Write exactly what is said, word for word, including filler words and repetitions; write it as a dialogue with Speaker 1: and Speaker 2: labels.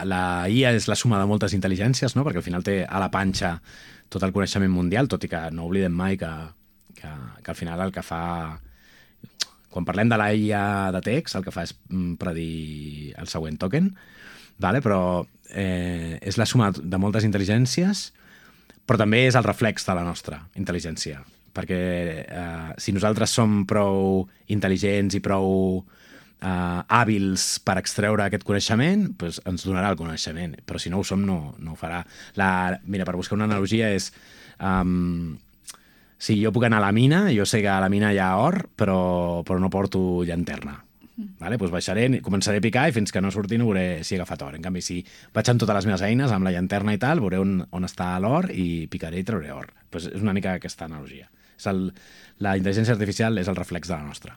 Speaker 1: La I A és la suma de moltes intel·ligències, no? Perquè al final té a la panxa tot el coneixement mundial, tot i que no oblidem mai que, que, que al final el que fa... Quan parlem de la I A de text, el que fa és predir el següent token, vale? Però eh, és la suma de moltes intel·ligències, però també és el reflex de la nostra intel·ligència. Perquè eh, si nosaltres som prou intel·ligents i prou Uh, hàbils per extreure aquest coneixement, doncs ens donarà el coneixement, però si no ho som no, no ho farà. La, mira, per buscar una analogia és um, si jo puc anar a la mina, jo sé que a la mina hi ha or, però, però no porto llanterna. Vale? Doncs baixaré, començaré a picar i fins que no surti no veuré si he agafat or. En canvi, si vaig amb totes les meves eines, amb la llanterna i tal, veuré on, on està l'or i picaré i trauré or. Doncs és una mica aquesta analogia. És el, la intel·ligència artificial és el reflex de la nostra.